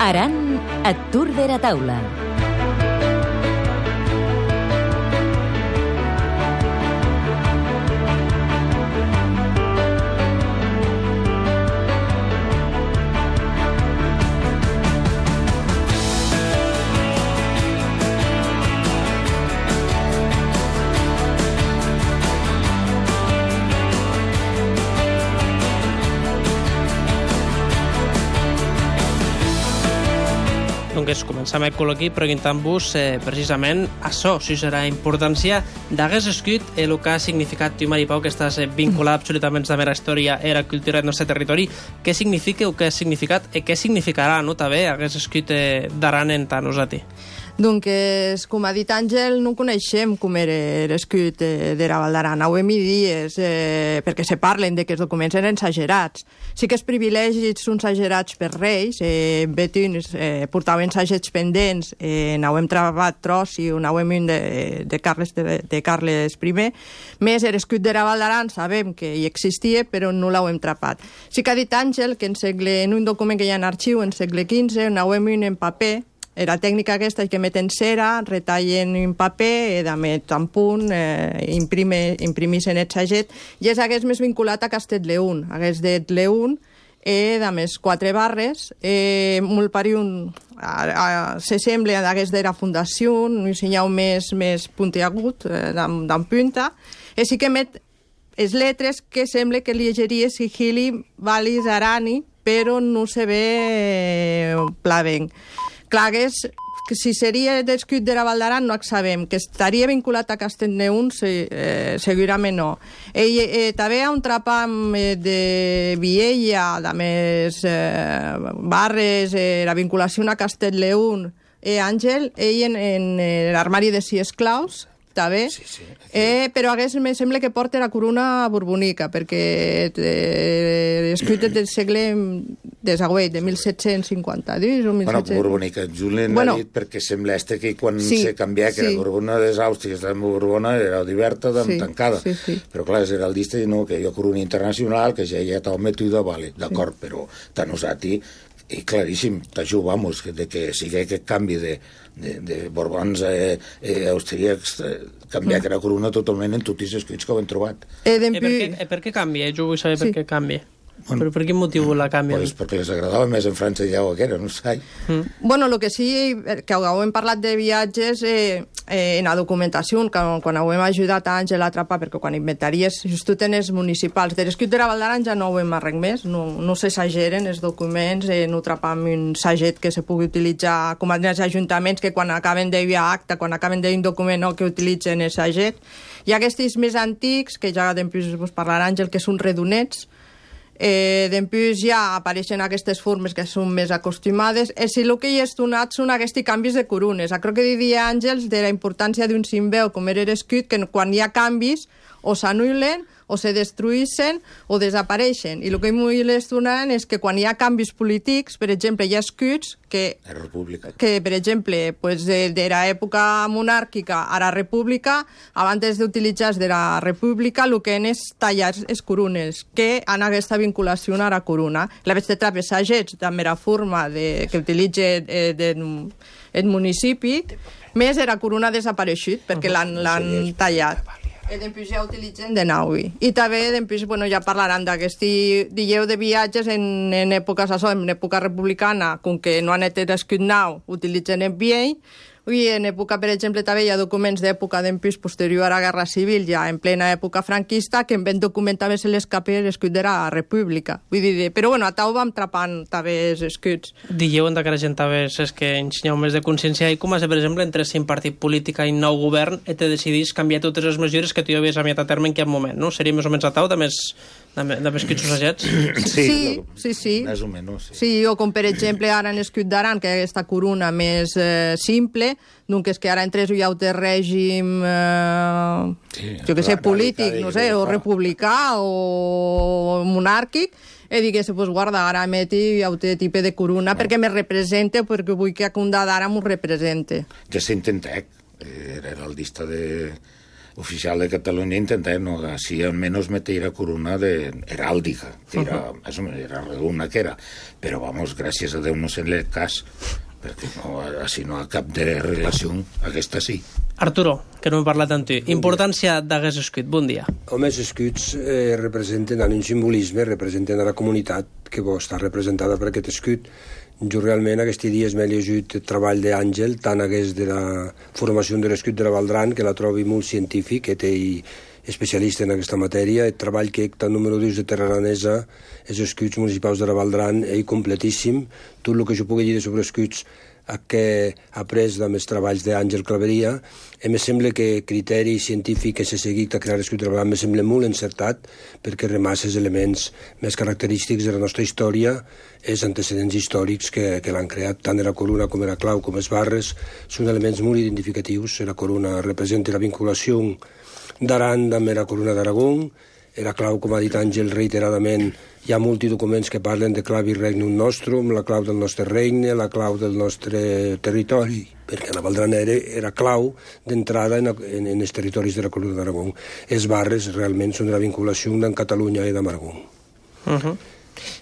Aran et Tour de la Taula. Doncs començam el col·loqui preguntant-vos precisament això, si serà importància d'hagués escrit el que ha significat tu, Maripau, que estàs vinculat absolutament amb la història i la cultura del nostre territori. Què significa o què ha significat i què significarà, no, també, hagués escrit d'Aran en tant nosaltres? Doncs, com ha dit Àngel, no coneixem com era l'escut de la Val d'Aran. Ho hem dit perquè se parlen de que els documents eren exagerats. Sí que els privilegis són exagerats per reis. Betins portaven sagets pendents, n'hem trobat tros i n'hem de Carles I. Més, l'escut de la Val d'Aran sabem que hi existia, però no l'hem trapat. Sí que ha dit Àngel que en un document que hi ha en arxiu, en segle XV, n'hem en paper. La tècnica aquesta és que meten cera, retallen en paper, met en punt, imprimeixen el saget, i és hagués més vinculat a Castell-Leún. Hagués dit Leún, a més 4 barres, molt pariun, se sembla hagués de la fundació, un senyal més puntiagut, d'en punta, i sí que met les lletres que sembla que llegeria Sigili Valis Arani, però no se ve plavenc. Clar, que si seria l'escut de la Val d'Aran no ho sabem, que estaria vinculat a Castell-Leún segurament no. També hi ha un trapam de Viella, de més barres, la vinculació a Castell-Leún, Àngel, ell en l'armari de 6 esclaus, també, però me sembla que porta la corona borbonica, perquè l'escut del segle desagüet, de 1752 o 1700... Bueno, borbonica, Julien ha dit perquè sembla que quan se canvia, que la Borbona de l'Àustria, la Borbona era oberta, tancada, però clar, és heraldista i no, que hi ha corona internacional, que ja hi ha tal mètode, vale, d'acord, però tant usati, i claríssim, t'ajuda, vamos, de que sigui aquest canvi de Borbons austríacs, canviar que la corona totalment en tots els escrits que ho hem trobat. Per què canvia? Jo vull saber per què canvia. Però per quin motiu la canvien? Pues perquè les agradava més en França ja o aquera, no sé. Bueno, el que sí, que hem parlat de viatges en la documentació, quan hem ajudat a Àngel a atrapar, perquè quan inventaries just en els municipals de l'escut de la Val d'Aran ja no ho hem res més, no s'exageren els documents, no trapam un saget que se pugui utilitzar com els ajuntaments que quan acaben d'enviar acta, quan acaben d'un document no, que utilitzen el saget. Hi ha aquests més antics, que ja després vos parlarà Àngel, que són redonets. Després ja apareixen aquestes formes que són més acostumades i si el que hi és donat són aquests canvis de corones. Crec que diria Àngels de la importància d'un simbeu com era l'escut, que quan hi ha canvis o s'anul·len o se destruïssin o desapareixen. I el que m'ho donen és que quan hi ha canvis polítics, per exemple, hi ha escuts que per exemple, de l'època monàrquica a la república, abans d'utilitzar de la república, el que és tallar les corones, que han aquesta vinculació a la corona. La vez de trapes sagets, també la forma que utilitza el municipi, més la corona ha desapareixut, perquè l'han tallat. I després ja utilitzen de naui. I també després ja parlaran d'aquest dieu de viatges en èpoques en època republicana, com que no han estat escut nau, utilitzen el viell, i en època, per exemple, també hi ha documents d'època d'empís posterior a la Guerra Civil, ja en plena època franquista, que en ben documentar se l'escape l'escut de la República. Vull dir, però a tau vam trapant també els escuts. Dieu que la gent també és que ensenyeu més de consciència i com a ser, per exemple, entre un partit polític i un nou govern i te decidís canviar totes les mesures que tu ja havies enviat a terme en aquest moment, no? Seria més o menys a tau de més escuts associats? Sí. Més o menys, sí, o com per exemple ara en l'escut d'Aran, que hi ha aquesta corona més simple, doncs és que ara entre hi ha un règim jo que sé, polític, no sé, o republicà o monàrquic, i digués, pues guarda, ara meti un tipus de corona perquè me represente, perquè vull que a Condà d'ara m'ho represente. Ja s'intenta, era heraldista de oficial de Catalunya intentava, no, així almenys meter la corona heràldica, que era redona que era, però, vamos, gràcies a Déu no se'n l'he cas, perquè no, així no ha cap de relació, aquesta sí. Arturo, que no hem parlat amb tu, importància d'aquest escut, bon dia. Home, els escuts representen un simbolisme, representen la comunitat que vol estar representada per aquest escut. Jo realment aquests dies m'he llegit el treball d'Àngel, tant hagués de la formació de l'escut de la Valdran, que la trobi molt científic, que té especialista en aquesta matèria, el treball que el número 2 de Terra Aranesa, els escuts municipals de la Valdran, és completíssim. Tot el que jo pugui dir sobre escuts que ha après amb els treballs d'Àngel Claveria, em sembla que criteri científic que s'ha seguit a crear l'escut de la Valdran em sembla molt encertat, perquè remassa els elements més característics de la nostra història, els antecedents històrics que l'han creat, tant de la corona com de la clau com els barres, són elements molt identificatius. La corona representa la vinculació d'Aran amb la corona d'Aragó, la clau, com ha dit Àngel reiteradament, hi ha molts documents que parlen de clavi regnum nostrum, la clau del nostre regne, la clau del nostre territori, perquè la Valdran era clau d'entrada en els territoris de la corona d'Aragó. Els barres realment són de la vinculació d'en Catalunya i d'Aragó.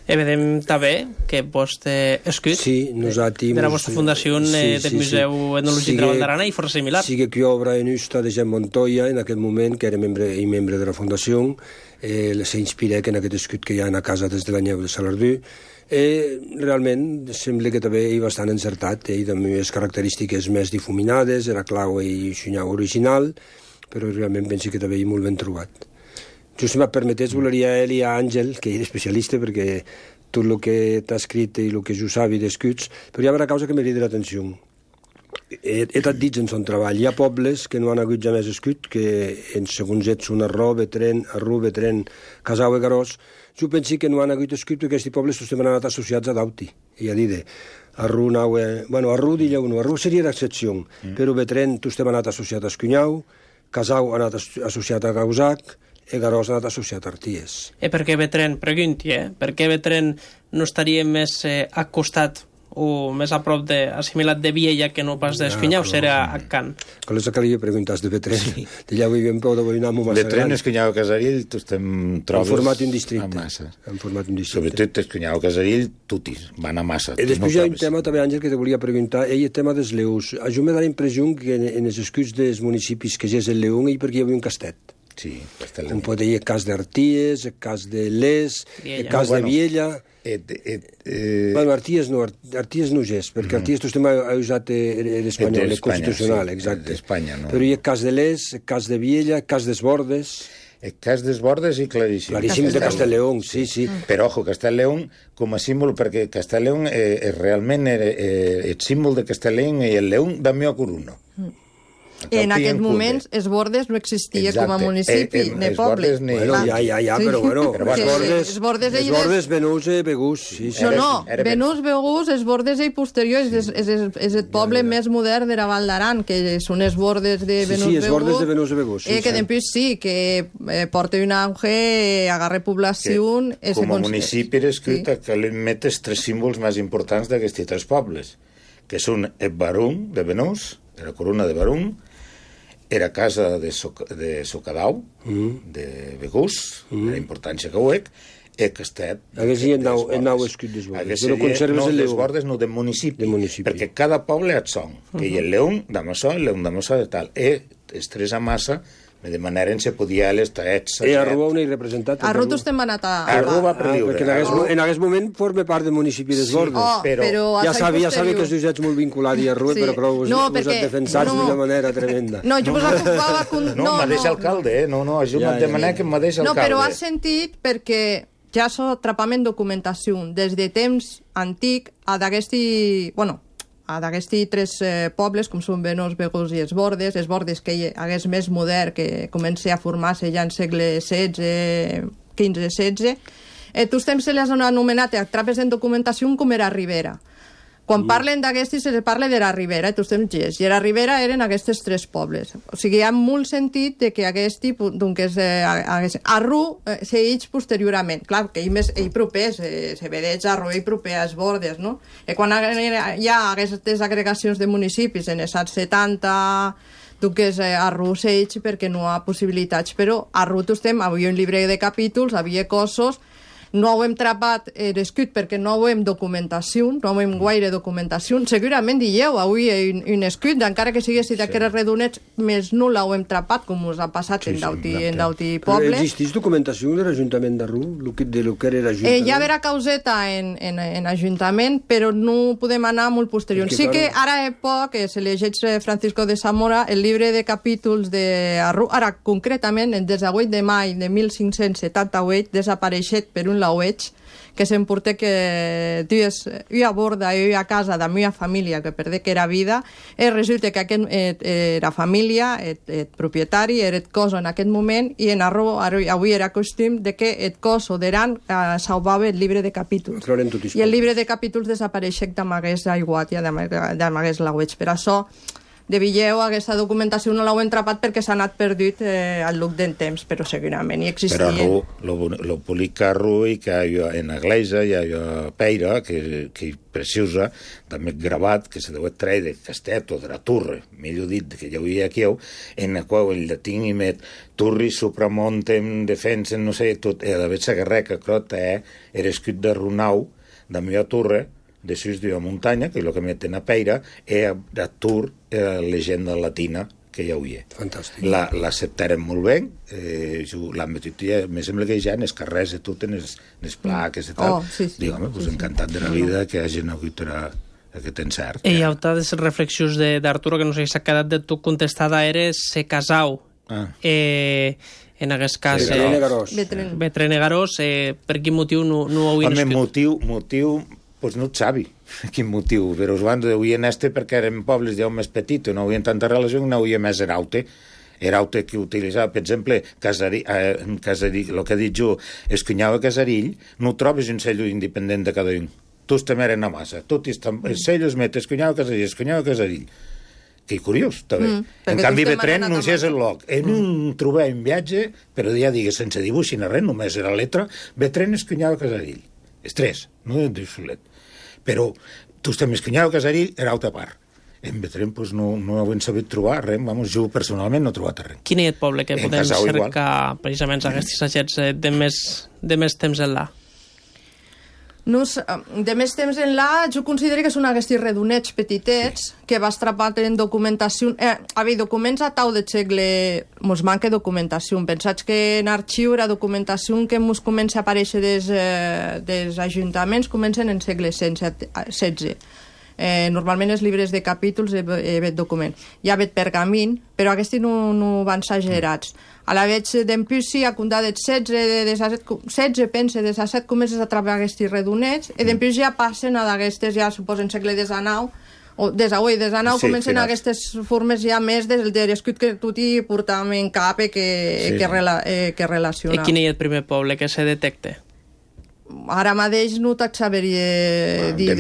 Vedem també que vostre escut de la vostra fundació del Museu Etnològic de la Valdarana i força similar. Sí que obra en Usta de Jean Montoya, en aquest moment, que era membre de la fundació, s'inspira en aquest escut que hi ha a casa des de l'Anyeu de Salardú. Realment sembla que també és bastant encertat, i també les característiques més difuminades, la clau i xunyau original, però realment penso que també és molt ben trobat. Jo, si me permetés, voleria a ell i a Àngel, que és especialista, perquè tot el que t'ha escrit i el que jo sabi d'escuts, però hi ha una causa que m'ha dit l'atenció. He estat dit en son treball. Hi ha pobles que no han hagut ja més escut, que segons ells són Arró, Betren, Casau i Garós. Jo penso que no han hagut escut perquè aquests pobles tots han anat associats a Dauti. I a dir Arrú, Arrú diria uno, Arrú seria l'excepció, però Betren tots han anat associat a Escunyau, Casau ha anat associat a Gausac, i Garós ha anat associat a Arties. Per què Betren, pregunti, per què Betren no estaria més al costat o més a prop assimilat de Viella que no pas d'Escunyau, serà a Can? Con les que li preguntes de Betren, d'allà ho vivim prou de Boinamo massa gran. Betren, Escunyau, Casarill, tu estem trobes... Han format un districte. Sobretot Escunyau, Casarill, tutis, van a massa. Després hi ha un tema també, Àngel, que te volia preguntar, el tema dels leus. A jo m'ha la impressió que en els escuts dels municipis que ja és el León i perquè hi havia un castet. Sí, com pot dir el cas d'Arties, el cas de Les, el cas de Viella... Bueno, Arties no és, perquè Arties tu ha usat l'espanyol, el constitucional, exacte. Però hi ha el cas de Les, el cas de Viella, el cas d'Esbordes... El cas d'Esbordes i claríssim. Claríssim de Castellleón, sí. Però, ojo, Castellleón com a símbol, perquè Castellleón realment el símbol de Castellleón i el León da meva corona. En aquest moment, Esbordes no existia com a municipi, ni poble. Ja, però bueno, Esbordes, Benús i Begús. No, Benús, Begús, Esbordes i posterior, és el poble més modern de la Val d'Aran, que són Esbordes de Benús, Begús. Sí, Esbordes de Benús i Begús. Que després sí, que porta un auge, agarra població... Com a municipi era escrit que li metes tres símbols més importants d'aquests tres pobles, que són el Barún de Benús, la corona de Barún, era casa de Socadau, de Begús, la importància que ho és, el castet... Hagués el nou escut d'Esbordes. No, d'Esbordes no, de municipi, perquè cada poble ha son, que hi ha el León d'Amassó, el León d'Amassó de tal, i els tres a massa, de manera en se podia l'estar ets... I Arrú on hi representat? Arrú tu estem anat a... Arrú va per lliure. Perquè en aquest moment forma part del municipi d'Esbordes. Però ja sabia que us ets molt vinculat a Arrú, però us has defensat d'una manera tremenda. No, jo us ocupava... No, mateix alcalde, no, jo m'he demanat que mateix alcalde. No, però has sentit perquè ja s'ho atrapament documentació des de temps antic a d'aquesti... Bueno, a d'aquests tres pobles, com són Benús, Begús i Esbordes que hi hagués més modern, que comença a formar-se ja en segle XVI, XV-XVI, tots temps se les han anomenat a trapes en documentació com era Ribera. Quan parlen d'aquestes, se parla de la Ribera, tots temps gest, i la Ribera eren aquests tres pobles. O sigui, hi ha molt sentit de que aquest doncs, Arrú segueix posteriorment. Clar, que ell proper, se vedeig Arrú i proper a Esbordes, no? I quan hi ha aquestes agregacions de municipis en els anys 70, tu que és arru seig perquè no hi ha possibilitats, però arru tu estem, havia un llibre de capítols, havia cossos, no ho hem trapat escrit perquè no ho hem documentació, no ho hem guaire documentació. Segurament dieu, avui un escrit, encara que siguessi d'aquests redonets, més no l'ho hem trapat, com us ha passat en d'auti pobles. Però existeix documentació de l'Ajuntament d'Arru, de lo que era l'Ajuntament? Hi ha vera causeta en Ajuntament, però no podem anar molt posterior. Sí que ara poc se llegeix Francisco de Zamora el llibre de capítols d'Arru, ara concretament, el 18 de maig de 1578, desapareixet per un laueig, que s'emporté que jo a borda, jo a casa de la meva família, que perdé que era vida, i resulta que era família, el propietari, era el cos en aquest moment, i en Arru, avui era costum de que el cos o d'Aran salvava el llibre de capítols. I el llibre de capítols desapareixec d'amagués aiguat i d'amagués laueig. Per això, de Villeu, aquesta documentació no l'heu entrapat perquè s'ha anat perdut al lloc del temps, però segurament hi existia. Però lo polic carro i que en l'església hi ha peira, que preciosa, també gravat, que se deu treure de Castet o de la Torre, millor dit, que hi havia aquí, en la qual el llatí i met turri, supramontem, defensen, no sé, tot, a la vegada guerreca, crota, era escrit de Runau, de la meva torre, de sus de muntanya, que és el que meten a peira, i a Tur, la llegenda latina que hi havia. Fantàstic. L'acceptaren molt bé, la metodologia, me sembla que ja en els carrers i tot, en els plaques i tal, diguem, encantat de la vida que hagin hagut aquest encert. I hi ha altres reflexions d'Arturo, que no sé si s'ha quedat de tu contestada, era se casau. En aquest cas... Betrene Garós. Per quin motiu no ho havien escrit? Motiu... Pues no et sabi quin motiu, però us van dir perquè eren pobles ja més petits, no havien tanta relació, no havia més eraute que utilitzava, per exemple, el que he dit jo, Escunyau a Casarill, no trobes un cello independent de cada un. Tots també eren a massa, els cellos met Escunyau a Casarill. Que curiós, també. En canvi, Betren no és el loc. En un trobar un viatge, però ja digues, sense dibuix ni res, només era letra, Betren Escunyau a Casarill. Els tres, no de solet. Però tu estem Escunyau a Casarill, era altra part. En Betrem no ho hem sabut trobar res, jo personalment no he trobat res. Quin és el poble que podem cercar precisament aquests assajets de més temps enllà? De més temps enllà, jo considero que són aquests redonets petitets que va estrapat en documentació. Documents a tau de segle mos manca documentació. Pensats que en arxiu la documentació que mos comença a aparèixer dels ajuntaments comencen en segle XVI. Normalment els llibres de capítols vet document. Hi ha vet pergamin, però aquests no van exagerats. A la veig d'empusi, a condar de 16, pense, de 17 comences a treballar aquests redonets, i d'empusi ja passen a d'aquestes, ja suposen segle XIX, o des d'avui, des d'anau, comencen aquestes formes ja més del l'escut que tu t'hi portàvem en cap que relaciona. I quin és el primer poble que se detecta? Ara mateix no te'n sabria dir...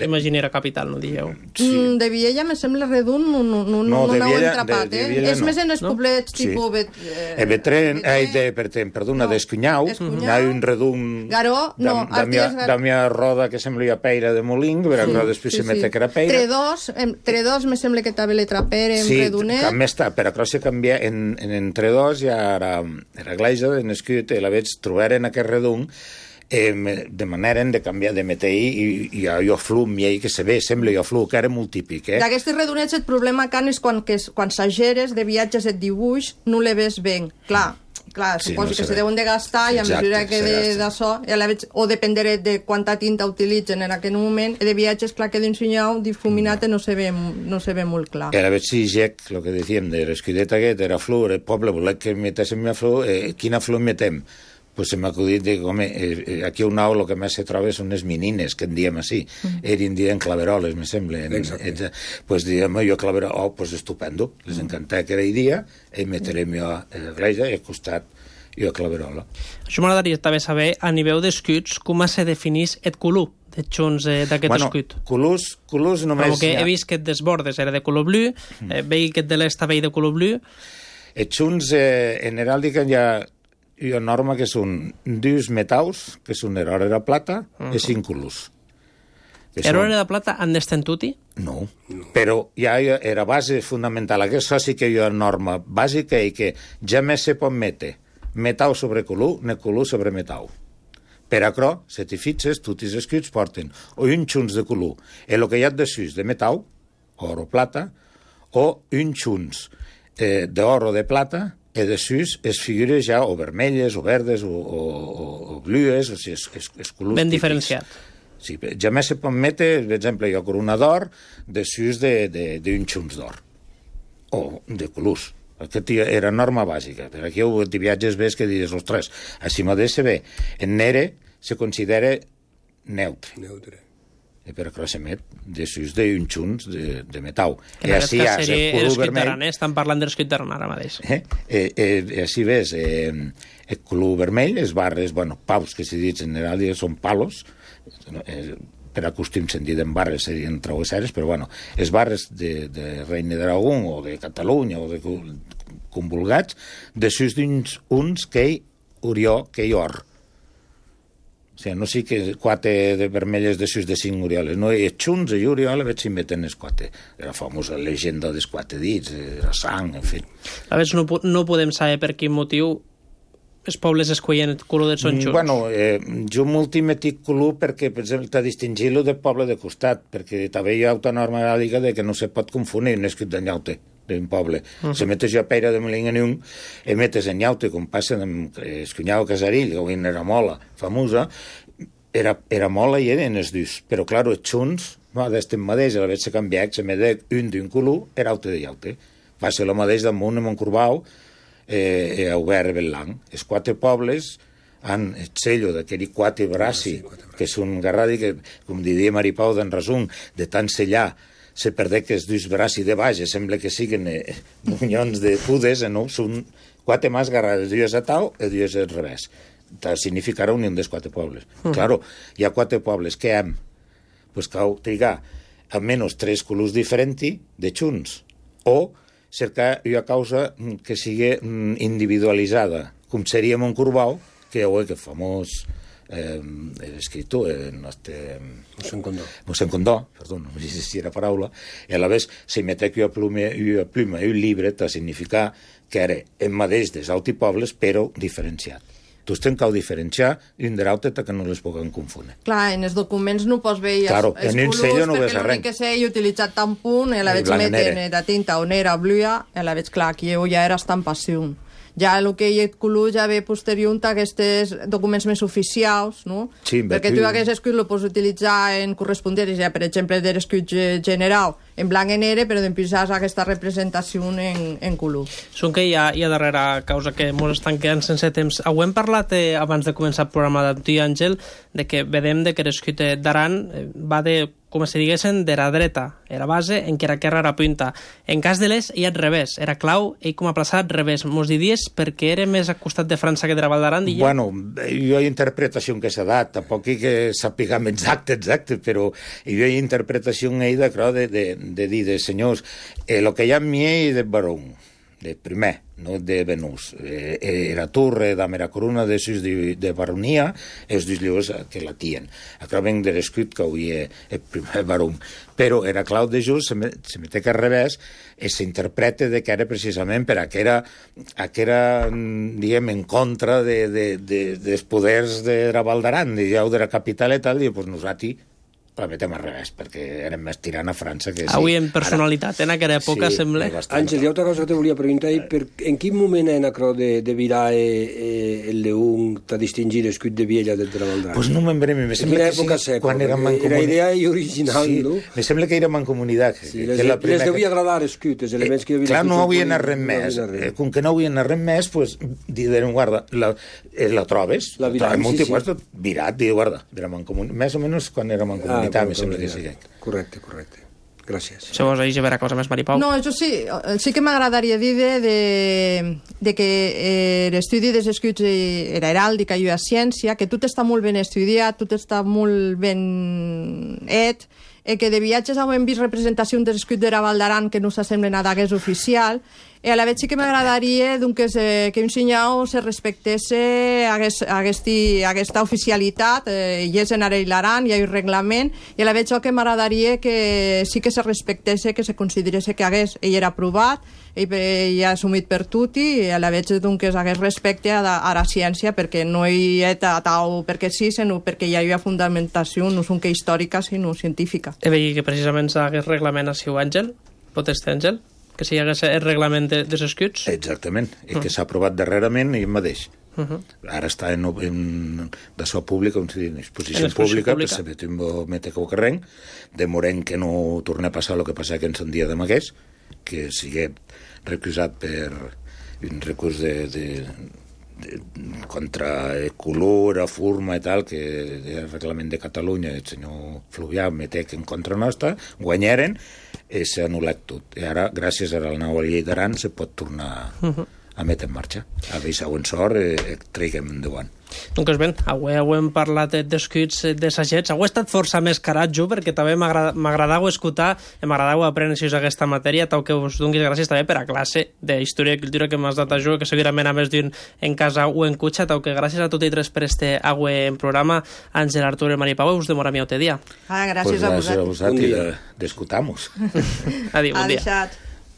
Imaginera capital, no dieu. De Viella, me sembla redund, no l'heu entrapat, És més en els poblets tipus... Perdona, d'Escunyau, hi ha un redund... Garó, no. Da mia roda que sembla peira de moling, però després se mete que era peira. Tredós, me sembla que també le traperem redunet. Sí, també està, però crec que canvia en Tredós, ja era gleisa, en escut, i la veig trobar en aquest redund, de manera de canviar de metall i jo flum i que se ve, sembla jo flum, que era molt típic. D'aquestes redonets el problema que és quan s'ageres de viatges et dibuix no le ves ben. Clar, suposo que se deuen de gastar i a mesura que d'això, o dependrà de quanta tinta utilitzen en aquell moment, de viatges, clar que d'un senyal difuminat no se ve molt clar. A la vez si Jack, el que dèiem de l'escudeta aquest, era flor, el poble volia que metéssim la flor, quina flor metem? Pues se m'ha acudit de com aquí a un au el que més se troba són les menines, que en diem així. Eren dient claveroles, me sembla. Pues diem jo claverol, pues estupendo. Les encantava que era el dia, i meterem jo a l'església i al costat jo claverola. Això m'agradaria també saber, a nivell d'escuts, com se definís el color de junts d'aquest escut. Colors només... Perquè he vist que dels bordes era de color blu, veig que de l'est també de color blu. Els junts en heràldica hi ha norma que són 2 metalls, que són l'or i la plata, i 5 colors. L'hora de plata han d'estentuti? No, però ja era base fundamental. Aquesta sí que hi ha norma bàsica i que jamais se pot metre metau sobre colú, ne colú sobre metau. Per acrò, si t'hi fixes, tots els escuts porten o un xuns de colú, el que hi ha de sus de metau, or o plata, o un xuns d'or o de plata, i de sus es figures ja o vermelles, o verdes, o blues, o sigui, és colors ben típics. Diferenciat. Sí, jamais se pot metre, per exemple, jo corona d'or de sus d'un xuns d'or, o de colors. Aquesta era norma bàsica. Per aquí de viatges ves que dius, ostres, així mateix se ve. En nere se considera neutre. I per això s'emet de sus d'un xuns de metau. En aquest cas seria l'escut d'aran, estan parlant de l'escut d'aran ara mateix. Així ves, el color vermell, les barres, paus, que s'hi dit en general, són palos, per acostum se'n diuen barres, serien travesseres, però les barres de Reina d'Aragó o de Catalunya o de convulgats, de sus uns que hi orió, que hi or. O sigui, no sí que quatre de vermelles de sus de 5 orioles, no, i xuns i oriola veig si meten els quatre. La famosa llegenda dels quatre dits, la sang, en fi. A veure, no podem saber per quin motiu els pobles escollen el color dels són xuns. Jo m'ultimetic color perquè, per exemple, t'ha distingit-lo del poble de costat, perquè també hi ha una norma gàlica de que no se pot confundir un escrit de nyaute d'un poble. Se metes jo a Peira de Molinganium i metes en nyaute, com passa amb el cunyau Casarill, que avui era mola famosa, era mola i eren els dus, però, clar, els xuns, d'estem mateix, a la vegada s'ha canviat, se met un d'un color, era aute de llaute. Va ser el mateix damunt a Montcorbau, a Obert Bellang. Els quatre pobles han el sello d'aquell quatre braci, que és un garradi que, com diria Maripau d'en resum, de tant sellar, se perdé que els dos braci de baix, sembla que siguin bunyons de pudes, no? Són quatre més garrades, dues a tau i dues al revés. Significarà unió dels quatre pobles. Claro, hi ha quatre pobles que hem, pues cal trigar almenys 3 colors diferents de xuns, o cercar una causa que sigui individualitzada, com seria Montcorbau, que és el famós escriptor, Mossèn Condó, perdó, no sé si era paraula, i a la vegada se metec una pluma i un llibre per significar que era el mateix dels altres pobles, però diferenciat. Tu tens que diferenciar un de l'altre que no les puguem confondre. Clar, en els documents no pots veure els colors, perquè l'únic que sé, he utilitzat tant punt, i la veig meten de tinta o nera o blua, i la veig clar, aquí ja era estampació. Ja el que hi ha color ja ve posterior a aquests documents més oficials, no? Sí, perquè tu aquest escut el pots utilitzar en correspondents, ja, per exemple, de l'escut general en blanc i negre, però després has aquesta representació en color. Són que hi ha darrere causa que ens estan quedant sense temps. Ho hem parlat abans de començar el programa d'Antoni Àngel, de que vedem que l'escut d'Aran va de, com si diguessin, de la dreta, era base, en què era punta. En cas de l'est, hi ha al revés, era clau, ell com a plaçat al revés. Mos diries perquè era més al costat de França que de la Val d'Aran? Bueno, jo hi ha interpretació que s'ha dat, tampoc que sapiguem exacte, però hi ha interpretació de dir, senyors, el que hi ha en mi de Barón, de primer, no de Venús. Era torre de la corona de baronia, els dos llibres que la tien. Acaben de l'escut que avui és el primer baró. Però era clau de just, se mete que al revés, i s'interpreta que era precisament per a que era, diguem, en contra dels poders de la Val d'Aran, de la capital i tal, i doncs nosaltres la metem al revés, perquè érem més tirant a França que sí. Avui en personalitat, en aquella època, sembla. Àngel, hi ha una cosa que te volia preguntar, en quin moment en acrò de virar el león t'ha distingir l'escut de Viella del de la Val d'Aran? Pues no me'n breme, me sembla que sí, quan érem en comunitat. Era idea original, no? Me sembla que érem en comunitat. Les devia agradar l'escut, els elements que hi havia. Clar, no havien anat res més. Com que no havien anat res més, pues, diuen, guarda, la trobes, la virat, diu, guarda, més o menys quan érem en comunitat. Me sembla que sí. Correcte. Gràcies. Se vos deixa veure cosa més, Maripau? No, això sí que m'agradaria dir de que l'estudi dels escuts era heràldica i ciència, que tot està molt ben estudiat, tot està molt ben que de viatges hem vist representacions dels escuts de la Val d'Aran que no s'assemblen a daguers oficial, a la vegada sí que m'agradaria que un senyor se respectesse aquesta oficialitat, i és en Aran, hi ha un reglament, i a la vegada que m'agradaria que sí que se respectesse, que se considerés que ell era aprovat, ell ha assumit per tutti, i a la vegada que hagués respecte a la ciència, perquè no hi ha tau perquè sí, sinó perquè hi ha fundamentació, no és que històrica, sinó científica. He veigut que precisament s'hagués reglament a Siu Àngel, poteste Àngel, que si hi hagués el reglament dels escuts. Exactament, i que s'ha aprovat darrerament i mateix. Ara està en d'això pública, en exposició pública, per saber mete que ho carrenc, demorem que no torni a passar el que passa que ens en dia de Magués, que sigui recusat per un recurs contra color, furma i tal, que el reglament de Catalunya, el senyor Fluvià mete que en contra nostra, guanyaren, s'ha anul·lat tot. I ara, gràcies a la nova llei d'Aran, se pot tornar a metre en marxa. A veure, següent sort, traiguem endavant. Doncs bé, avui hem parlat d'escuts de sagets. Avui ha estat força més caratjo, perquè també m'agradava escoltar, m'agradava aprendre aquesta matèria, tal que us donis gràcies també per a classe d'Història i Cultura que m'has dat a jo, que segurament a més d'un en casa o en cotxe, tal que gràcies a tots i tres per este avui en programa. Àngel, Artur i Maria Pau, us demora mi otro dia. Gràcies a vosaltres. Gràcies a vosaltres i d'escoltar-nos. Adiós, bon dia.